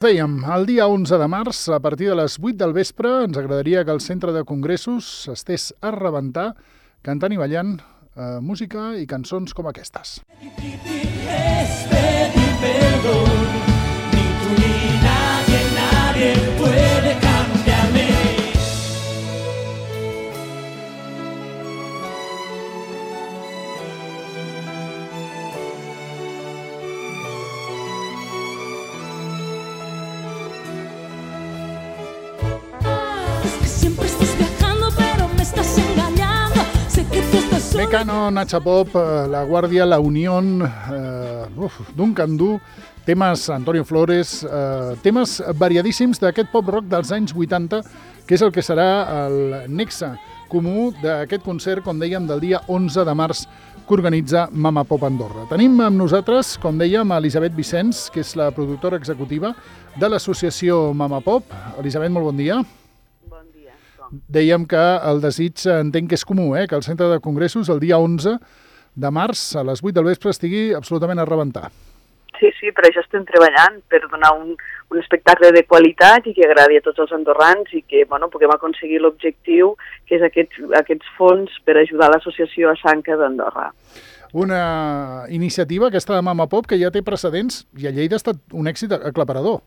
Dèiem, el dia 11 de març, a partir de les 8 del vespre, ens agradaria que el centre de congressos estés a rebentar, cantant i ballant música i cançons com aquestes. Mecano, Nacha Pop, La Guardia, La Unión, Duncan Du, temes Antonio Flores, temes variadíssims d'aquest pop-rock dels anys 80, que és el que serà el nexe comú d'aquest concert, com dèiem, del dia 11 de març que organitza Mama Pop Andorra. Tenim amb nosaltres, com dèiem, Elisabet Vicens, que és la productora executiva de l'associació Mama Pop. Elisabet, molt bon dia. Dèiem que el desig entenc que és comú, que el centre de congressos el dia 11 de març a les 8 del vespre estigui absolutament a rebentar. Sí, per això estem treballant, per donar un espectacle de qualitat i que agradi a tots els andorrans i que puguem aconseguir l'objectiu, que és aquests fons per ajudar l'associació a Sanca d'Andorra. Una iniciativa, aquesta de Mama Pop, que ja té precedents i a Lleida ha estat un èxit aclaparador.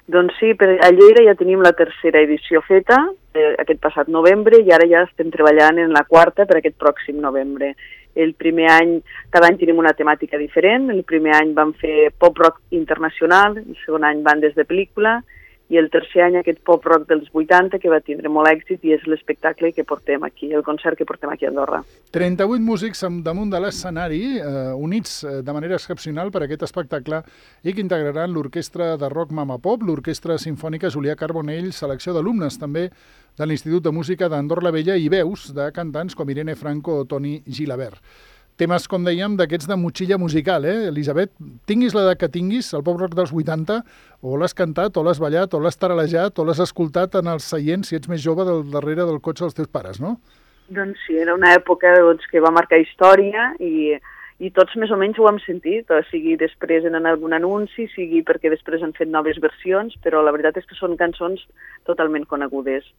Doncs sí, a Lleida ja tenim la tercera edició feta, aquest passat novembre, i ara ja estem treballant en la quarta per aquest pròxim novembre. El primer any, cada any tenim una temàtica diferent. El primer any vam fer pop-rock internacional, el segon any bandes de pel·lícula, i el tercer any aquest pop-rock dels 80, que va tindre molt èxit, i és l'espectacle que portem aquí, el concert que portem aquí a Andorra. 38 músics damunt de l'escenari, units de manera excepcional per aquest espectacle, i que integraran l'orquestra de rock Mama Pop, l'orquestra simfònica Julià Carbonell, selecció d'alumnes també de l'Institut de Música d'Andorra la Vella i veus de cantants com Irene Franco o Toni Gilabert. Temes, com dèiem, d'aquests de motxilla musical, Elisabet? Tinguis l'edat que tinguis, el pop-rock dels 80, o l'has cantat, o l'has ballat, o l'has taralejat, o l'has escoltat en el seient, si ets més jove, del darrere del cotxe dels teus pares, no? Doncs sí, era una època que va marcar història i tots més o menys ho hem sentit, sigui després en algun anunci, sigui perquè després han fet noves versions, però la veritat és que són cançons totalment conegudes.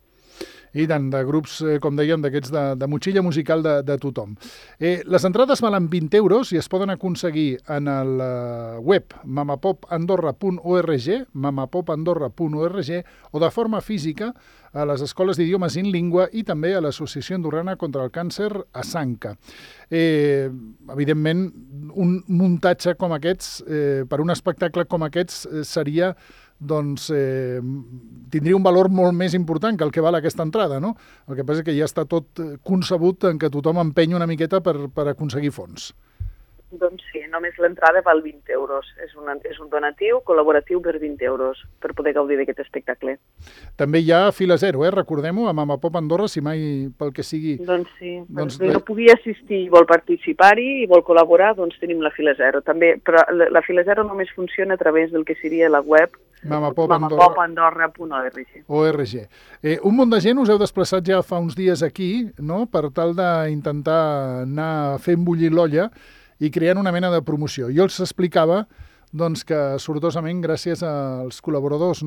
I tant, de grups, com dèiem, d'aquests de motxilla musical de tothom. Les entrades valen 20 euros i es poden aconseguir en el web mamapopandorra.org, mamapopandorra.org, o de forma física a les escoles d'idiomes in língua i també a l'Associació Andorrana contra el Càncer a Sanca. Evidentment, un muntatge com aquests, per un espectacle com aquests, seria tindria un valor molt més important que el que val aquesta entrada, no? El que passa és que ja està tot concebut en que tothom empenya una miqueta per aconseguir fons. Doncs sí, només l'entrada val 20 euros. És un donatiu col·laboratiu per 20 euros per poder gaudir d'aquest espectacle. També hi ha fila zero, recordem-ho, a Mama Pop Andorra, si mai pel que sigui... Doncs sí, si no pugui assistir i vol participar-hi i vol col·laborar, doncs tenim la fila zero. També, però la fila zero només funciona a través del que seria la web mamapopandorra.org. Un munt de gent us heu desplaçat ja fa uns dies aquí, no?, per tal d'intentar anar fent bullir l'olla i creant una mena de promoció. Jo els explicava que sortosament, gràcies als col·laboradors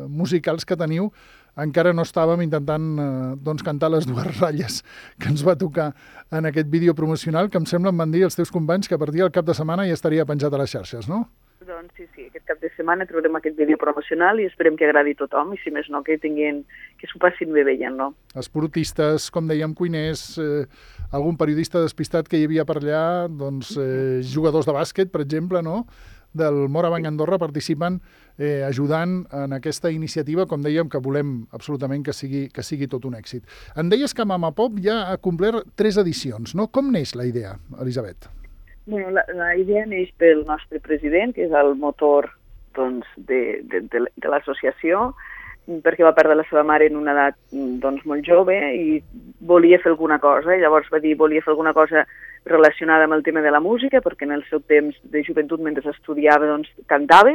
musicals que teniu, encara no estàvem intentant cantar les dues ratlles que ens va tocar en aquest vídeo promocional, que em sembla em van dir els teus companys que a partir del cap de setmana ja estaria penjat a les xarxes, no? Doncs sí, aquest cap de setmana trobarem aquest vídeo promocional i esperem que agradi a tothom i, si més no, que s'ho passin bé veient-lo. Esportistes, com dèiem, cuiners, algun periodista despistat que hi havia per allà, jugadors de bàsquet, per exemple, no?, del Morabanc Andorra participen ajudant en aquesta iniciativa, com dèiem, que volem absolutament que sigui tot un èxit. Em deies que Mama Pop ja ha complert 3 edicions, no? Com neix la idea, Elisabet? Bueno, la idea neix pel nostre president, que és el motor de l'associació, perquè va perdre la seva mare en una edat molt jove i volia fer alguna cosa. Llavors va dir volia fer alguna cosa relacionada amb el tema de la música, perquè en el seu temps de joventut, mentre estudiava, cantava,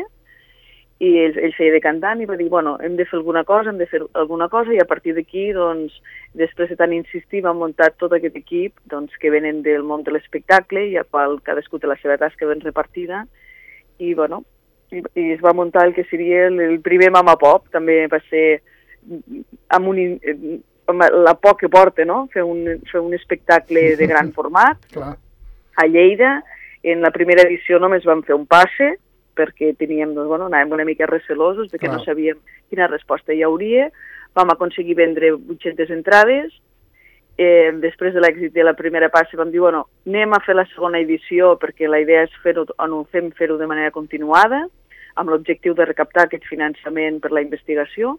i ell feia de cantant i va dir, hem de fer alguna cosa, i a partir d'aquí, després de tant insistir, vam muntar tot aquest equip que venen del món de l'espectacle i a qual cadascú té la seva tasca ben repartida i, i es va muntar el que seria el primer Mama Pop, també va ser amb la por que porta, no? Fer un espectacle de gran format a Lleida. En la primera edició només vam fer un passe, perquè teníem, doncs, bueno, anàvem una mica recelosos de que no sabíem quina resposta hi hauria. Vam aconseguir vendre 800 entrades. Després de l'èxit de la primera passe vam dir, bueno, anem a fer la segona edició perquè la idea és fer-ho de manera continuada, amb l'objectiu de recaptar aquest finançament per la investigació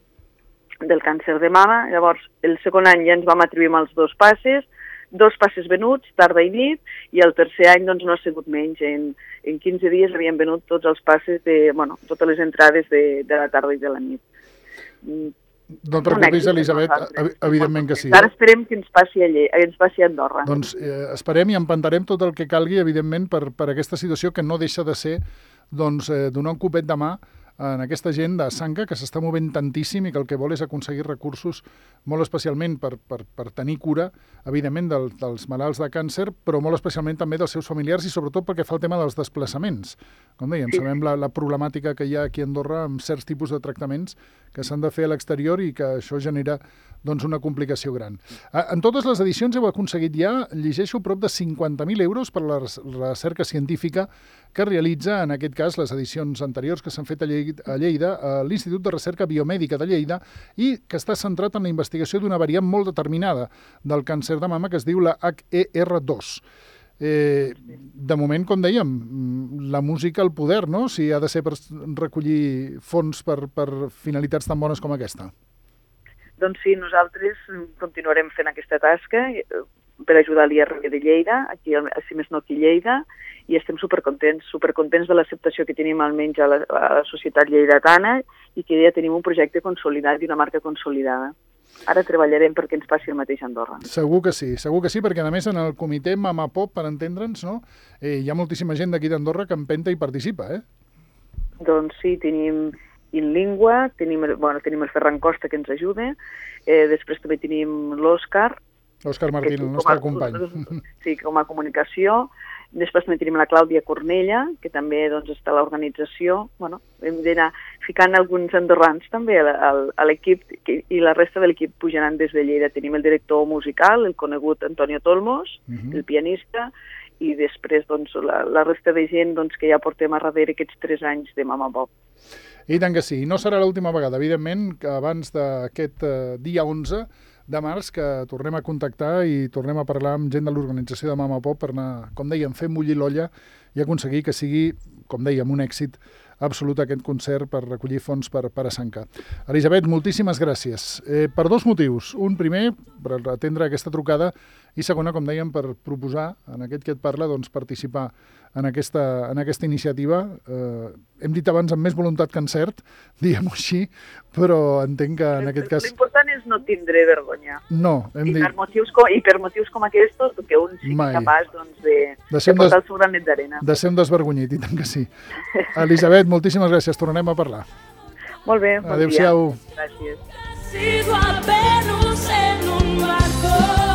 del càncer de mama. Llavors, el segon any ja ens vam atribuir amb els 2 passes venuts, tarda i nit, i el tercer any doncs, no ha sigut menys. En 15 dies havíem venut tots els passes, totes les entrades de la tarda i de la nit. No et preocupis, Elisabet, evidentment que sí. Ara esperem que ens passi a Andorra. Doncs esperem i empantarem tot el que calgui, evidentment, per aquesta situació que no deixa de ser donar un copet de mà en aquesta gent de Sanca que s'està movent tantíssim i que el que vol és aconseguir recursos molt especialment per tenir cura, evidentment, dels malalts de càncer, però molt especialment també dels seus familiars i sobretot perquè fa el tema dels desplaçaments. Com dèiem, sabem la problemàtica que hi ha aquí a Andorra amb certs tipus de tractaments que s'han de fer a l'exterior i que això genera una complicació gran. En totes les edicions heu aconseguit ja, llegeixo, prop de 50.000 euros per la recerca científica que realitza, en aquest cas, les edicions anteriors que s'han fet a Lleida, a l'Institut de Recerca Biomèdica de Lleida, i que està centrat en la investigació d'una variant molt determinada del càncer de mama que es diu la HER2. De moment, com dèiem, la música al poder, no? Si ha de ser per recollir fons per finalitats tan bones com aquesta. Doncs sí, nosaltres continuarem fent aquesta tasca per ajudar l'IRB de Lleida, aquí, si més no aquí a Lleida, i estem supercontents de l'acceptació que tenim almenys a la societat lleidatana i que ja tenim un projecte consolidat i una marca consolidada. Ara treballarem perquè ens passi el mateix a Andorra. Segur que sí, perquè a més en el comitè Mama Pop, per entendre'ns, no? Hi ha moltíssima gent d'aquí d'Andorra que empenta i participa, Doncs sí, tenim InLingua, tenim el Ferran Costa que ens ajuda, després també tenim l'Òscar Martín, el nostre company. Sí, com a comunicació. Després també tenim la Clàudia Cornella, que també està a l'organització. Hem d'anar ficant alguns andorrans també a l'equip i la resta de l'equip pujaran des de Lleida. Tenim el director musical, el conegut Antonio Tolmos, el pianista, i després la resta de gent que ja portem a darrere aquests 3 anys de Mama Pop. I tant que sí. I no serà l'última vegada, evidentment, que abans d'aquest dia 11 de març que tornem a contactar i tornem a parlar amb gent de l'organització de Mama Pop per anar, com dèiem, fent bullir l'olla i aconseguir que sigui, com dèiem, un èxit absolut aquest concert per recollir fons per a Sanca. Elisabet, moltíssimes gràcies. Per 2 motius. Un primer, per atendre aquesta trucada, i segona, com dèiem, per proposar, en aquest que et parla, participar en aquesta iniciativa. Hem dit abans amb més voluntat que encert, diguem-ho així, però entenc que en aquest cas... L'important és no tindre vergonya. No, hem dit... I per motius com aquests, que un sigui capaç de portar el seu granet d'arena. De ser un desvergonyit, i tant que sí. Elisabet, moltíssimes gràcies, tornarem a parlar. Molt bé, bon dia. Adéu-siau. Gràcies. Sido apenas en un barco.